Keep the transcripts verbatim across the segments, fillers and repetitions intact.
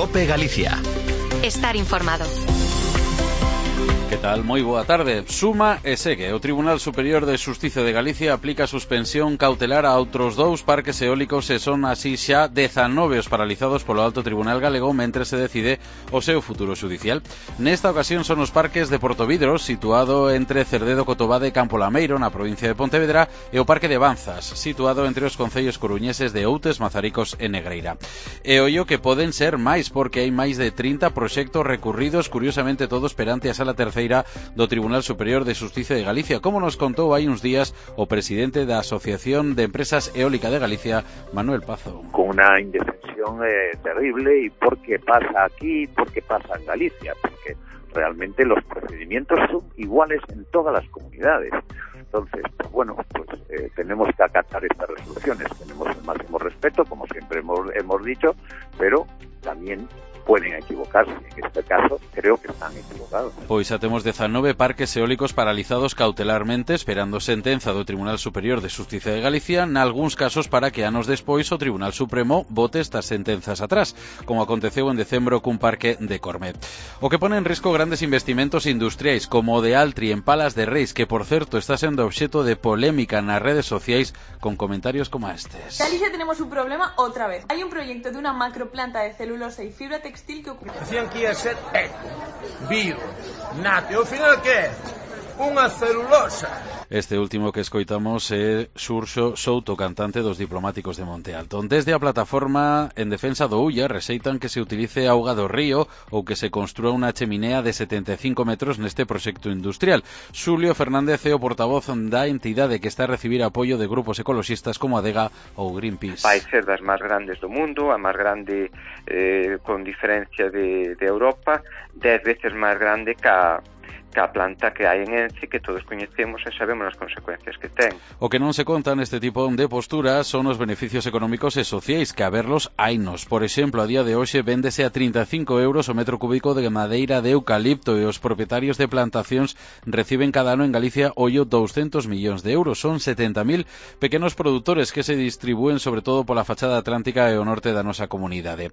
COPE Galicia. Estar informado. Que tal? Moi boa tarde. Suma e segue. O Tribunal Superior de Xustiza de Galicia aplica suspensión cautelar a outros dous parques eólicos e son así xa dezanove os paralizados polo Alto Tribunal Galego mentre se decide o seu futuro xudicial. Nesta ocasión son os parques de Portovidros, situado entre Cerdedo, Cotobade e Campo Lameiro, na provincia de Pontevedra, e o Parque de Banzas, situado entre os concellos coruñeses de Outes, Mazaricos e Negreira. E ollo que poden ser máis, porque hai máis de trinta proxectos recurridos, curiosamente todos perante a Sala Terceira do Tribunal Superior de Xustiza de Galicia, como nos contou hai uns días o presidente da Asociación de Empresas Eólica de Galicia, Manuel Pazo. Con una indefensión eh, terrible, y por qué pasa aquí, por qué pasa en Galicia, porque realmente los procedimientos son iguales en todas las comunidades. Entonces, pues bueno, pues eh, tenemos que acatar estas resoluciones, tenemos el máximo respeto, como siempre hemos, hemos dicho, pero también pueden equivocarse. En este caso, creo que están equivocados. Pois xa temos dezanove parques eólicos paralizados cautelarmente esperando sentenza do Tribunal Superior de Xustiza de Galicia, nalgúns casos para que anos despois o Tribunal Supremo vote estas sentenzas atrás, como aconteceu en decembro cun parque de Cormet. O que pone en risco grandes investimentos industriais, como o de Altri en Palas de Reis, que por certo está sendo obxeto de polémica nas redes sociais con comentarios como estes. En Galicia tenemos un problema outra vez. Hai un proyecto de unha macroplanta de celulosa e fibra textil que ocurre. Decían que ia ser eco, vivo, nato, e ao final que é? Unha celulosa. Este último que escoitamos é Xurxo Souto, cantante dos Diplomáticos de Monte Alto. Desde a plataforma en defensa do Ulla rexeitan que se utilice auga do río ou que se construa unha cheminea de setenta e cinco metros neste proxecto industrial. Xulio Fernández é o portavoz da entidade que está a recibir apoio de grupos ecoloxistas como Adega ou Greenpeace. Vai ser das máis grandes do mundo, a máis grande eh, con diferencia de, de Europa, dez veces máis grande que a que a planta que hai en Ence, que todos coñecemos e sabemos as consecuencias que ten. O que non se conta neste tipo de posturas son os beneficios económicos e sociais, que a verlos hainos. Por exemplo, a día de hoxe véndese a trinta e cinco euros o metro cúbico de madeira de eucalipto e os propietarios de plantacións reciben cada ano en Galicia ollo douscentos millóns de euros. Son setenta mil pequenos produtores que se distribúen sobre todo pola fachada atlántica e o norte da nosa comunidade.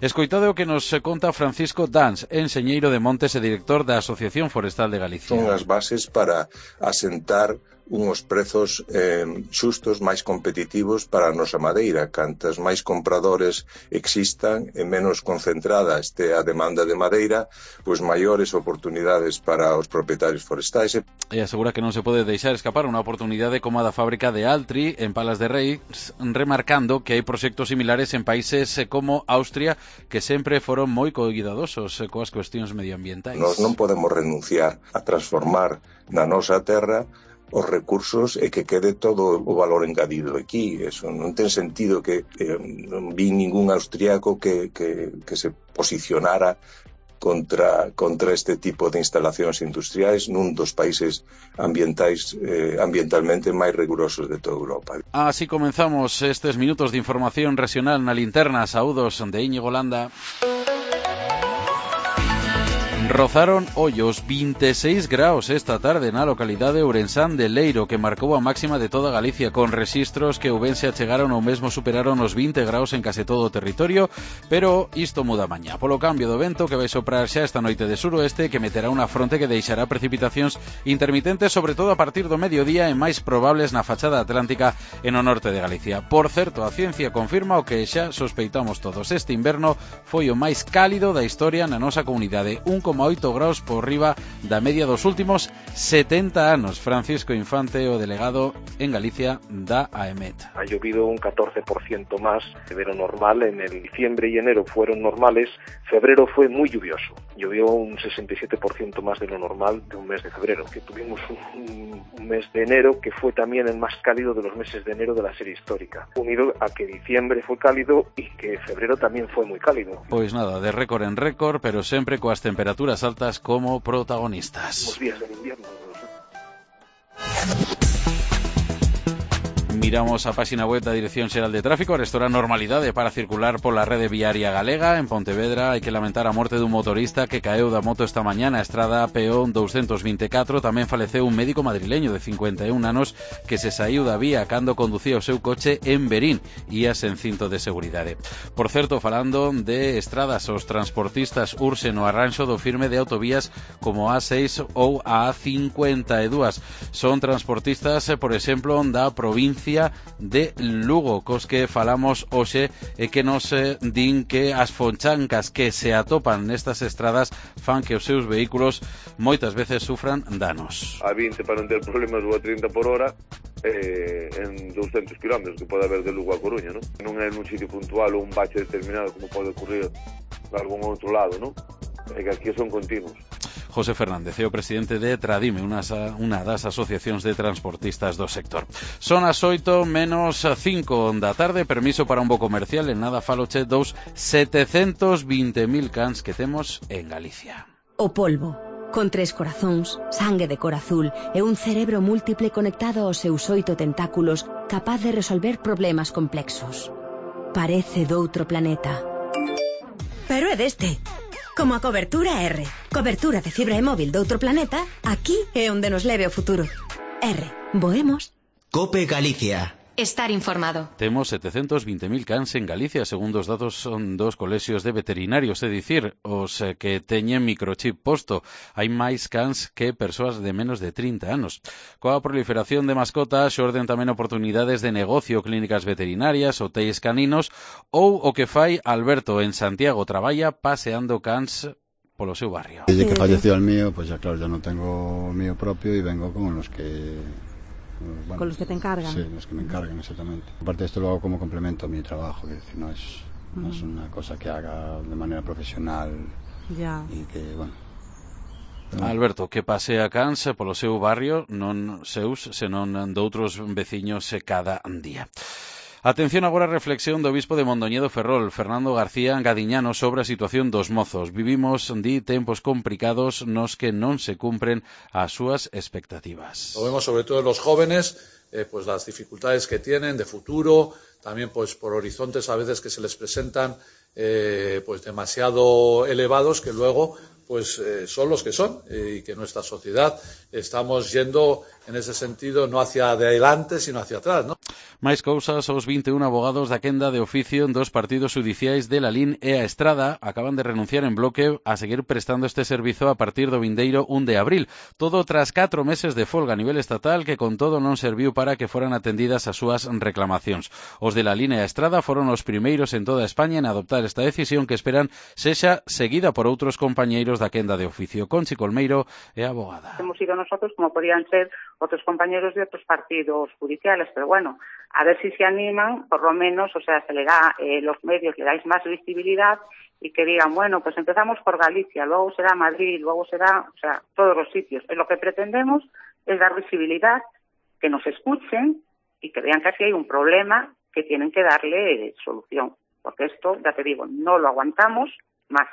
Escoitade o que nos conta Francisco Dans, enxeñeiro de montes e director da Asociación Forestal de Galicia. Son as bases para asentar unhos prezos eh, xustos máis competitivos para a nosa madeira. Cantas máis compradores existan e menos concentrada este a demanda de madeira, pois maiores oportunidades para os propietarios forestais. E asegura que non se pode deixar escapar unha oportunidade como a da fábrica de Altri en Palas de Reis, remarcando que hai proxectos similares en países como Austria que sempre foron moi cuidadosos coas cuestións medioambientais. Nos non podemos renunciar a transformar na nosa terra os recursos e que quede todo o valor engadido aquí. Eso non ten sentido que eh, non vi ningún austriaco que, que, que se posicionara contra, contra este tipo de instalacións industriais nun dos países ambientais eh, ambientalmente máis rigurosos de toda Europa. Así comenzamos estes minutos de información regional na linterna. Saúdos de Íñigo Landa. Rozaron ollos vinte e seis graus esta tarde na localidade Ourensán de Leiro, que marcou a máxima de toda Galicia, con rexistros que oubense achegaron ou mesmo superaron os vinte graus en case todo o territorio, pero isto muda mañá, polo cambio do vento que vai soprar xa esta noite de suroeste, que meterá unha fronte que deixará precipitacións intermitentes, sobre todo a partir do mediodía e máis probables na fachada atlántica e no norte de Galicia. Por certo, a ciencia confirma o que xa sospeitamos todos. Este inverno foi o máis cálido da historia na nosa comunidade, un coma oito graus por riba da media dos últimos setenta anos. Francisco Infante, o delegado en Galicia da AEMET. Ha llovido un catorce por ciento más de lo normal. En el diciembre y enero fueron normales. Febrero fue muy lluvioso. Llovió un sesenta y siete por ciento más de lo normal de un mes de febrero. Que tuvimos un, un mes de enero que fue también el más cálido de los meses de enero de la serie histórica. Unido a que diciembre fue cálido y que febrero también fue muy cálido. Pois nada, de récord en récord, pero sempre coas temperaturas altas como protagonistas. Los días del invierno. Miramos a páxina web da Dirección Xeral de Tráfico. Restora normalidade para circular pola rede viaria galega. En Pontevedra hai que lamentar a morte dun motorista que caeu da moto esta mañá na estrada Peón doscientos veinticuatro. Tamén faleceu un médico madrileño de cincuenta e un anos que se saiu da vía cando conducía o seu coche en Verín, ía sen cinto de seguridade. Por certo, falando de estradas, os transportistas urxen o arranxo do firme de autovías como A seis ou a A cincuenta e dúas. Son transportistas, por exemplo, da provincia de Lugo, cos que falamos hoxe e que nos eh, din que as fonchancas que se atopan nestas estradas fan que os seus vehículos moitas veces sufran danos. A vinte para non ter problemas ou a trinta por hora eh, en doscientos kilómetros que pode haber de Lugo a Coruña, non? Non é nun sitio puntual ou un bache determinado como pode ocurrir en algún outro lado, non? É que aquí son continuos. José Fernández é o presidente de Tradime, unha, unha das asociacións de transportistas do sector. Son as oito menos cinco da tarde, permiso para un bo comercial, en nada faloche dos setecentos vinte mil cans que temos en Galicia. O polvo, con tres corazóns, sangue de cor azul e un cerebro múltiple conectado aos seus oito tentáculos, capaz de resolver problemas complexos. Parece doutro planeta. Pero é deste. Como a cobertura R. Cobertura de fibra e móvil doutro planeta, aquí é onde nos leve o futuro. R. Voemos. Cope Galicia. Estar informado. Temos setecentos vinte mil cans en Galicia, segundo os datos son dos colexios de veterinarios, é dicir, os que teñen microchip posto. Hai máis cans que persoas de menos de trinta anos. Coa proliferación de mascotas, xorden tamén oportunidades de negocio, clínicas veterinarias, hotéis caninos, ou o que fai Alberto en Santiago, traballa paseando cans polo seu barrio. Desde que falleció el mío, pues ya claro, ya no tengo mío propio y vengo con los que... Bueno, con los que te encargan. Sí, los que me encargan, exactamente. Aparte esto lo hago como complemento a mi trabajo, es decir, no es, no uh-huh. es una cosa que haga de manera profesional ya. Y que, bueno... Pero... Alberto, que pasea cans polo seu barrio, non seus, senón doutros veciños cada día. Atención agora a reflexión do bispo de Mondoñedo Ferrol, Fernando García Gadiñano, sobre a situación dos mozos. Vivimos, di, tempos complicados nos que non se cumpren as súas expectativas. Lo vemos sobre todo en los jóvenes, eh, pues las dificultades que tienen de futuro, también pues por horizontes a veces que se les presentan eh, pues demasiado elevados que luego pues eh, son los que son eh, y que nuestra sociedad estamos yendo en ese sentido no hacia adelante sino hacia atrás, ¿no? Máis cousas, os vinte e un abogados da quenda de oficio en dos partidos judiciais de Lalín e a Estrada acaban de renunciar en bloque a seguir prestando este servizo a partir do vindeiro un de abril. Todo tras catro meses de folga a nivel estatal que con todo non serviu para que foran atendidas as súas reclamacións. Os de Lalín e a Estrada foron os primeiros en toda España en adoptar esta decisión que esperan sexa seguida por outros compañeiros da quenda de oficio. Conchi Colmeiro é abogada. Hemos sido nosotros como podían ser otros compañeros de otros partidos judiciales, pero bueno, a ver si se animan, por lo menos, o sea, se le da, eh, los medios le dais más visibilidad y que digan, bueno, pues empezamos por Galicia, luego será Madrid, luego será, o sea, todos los sitios. Lo que pretendemos es dar visibilidad, que nos escuchen y que vean que aquí hay un problema que tienen que darle eh, solución, porque esto, ya te digo, no lo aguantamos más.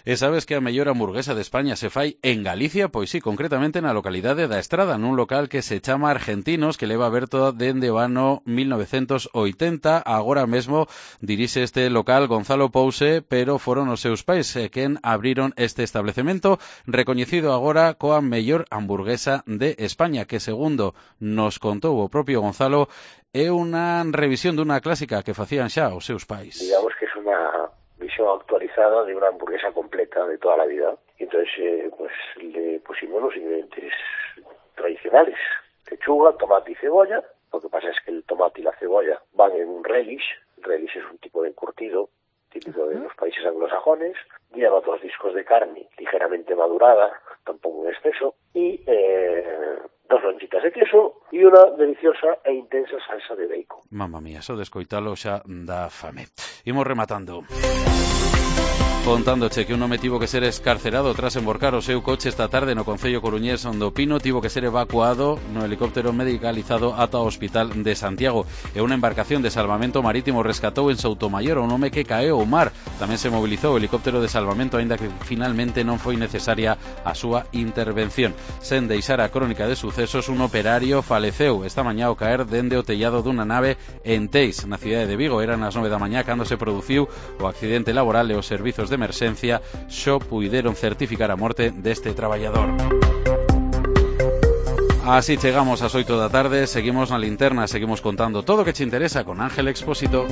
E sabes que a mellor hamburguesa de España se fai en Galicia? Pois sí, concretamente na localidade da Estrada, nun local que se chama Argentinos, que leva aberto dende o ano mil novecientos oitenta. Agora mesmo dirixe este local Gonzalo Pouse, pero foron os seus pais eh, quen abriron este establecemento, recoñecido agora coa mellor hamburguesa de España, que segundo nos contou o propio Gonzalo, é unha revisión dunha clásica que facían xa os seus pais. Digamos que es una visión actualizada de una hamburguesa completa de toda la vida. Y entonces eh, pues le pusimos los ingredientes tradicionales: lechuga, tomate y cebolla. Lo que pasa es que el tomate y la cebolla van en un relish. El relish es un tipo de encurtido típico de los países anglosajones. Lleva dos discos de carne ligeramente madurada, tampoco en exceso, y eh, dos lonchitas de queso y una deliciosa e intensa salsa de bacon. Mamma mía, só de escoitalo xa dá fame. Imos rematando. Contándoche que un home tivo que ser escarcerado tras emborcar o seu coche esta tarde no concello coruñés do Pino, tivo que ser evacuado no helicóptero medicalizado ata o hospital de Santiago. E unha embarcación de salvamento marítimo rescatou en Soutomayor a un home que caeu ao mar Tamén se mobilizou o helicóptero de salvamento, aínda que finalmente non foi necesaria a súa intervención. Sen deixar a crónica de sucesos, un operario faleceu esta mañá ao caer dende o tellado dunha nave en Teis, na cidade de Vigo. Eran as nove da mañá cando se produciu o accidente laboral e os servizos de emerxencia xo puideron certificar a morte deste traballador. Así chegamos ás oito da tarde, seguimos na linterna, seguimos contando todo o que che interesa con Ángel Expósito.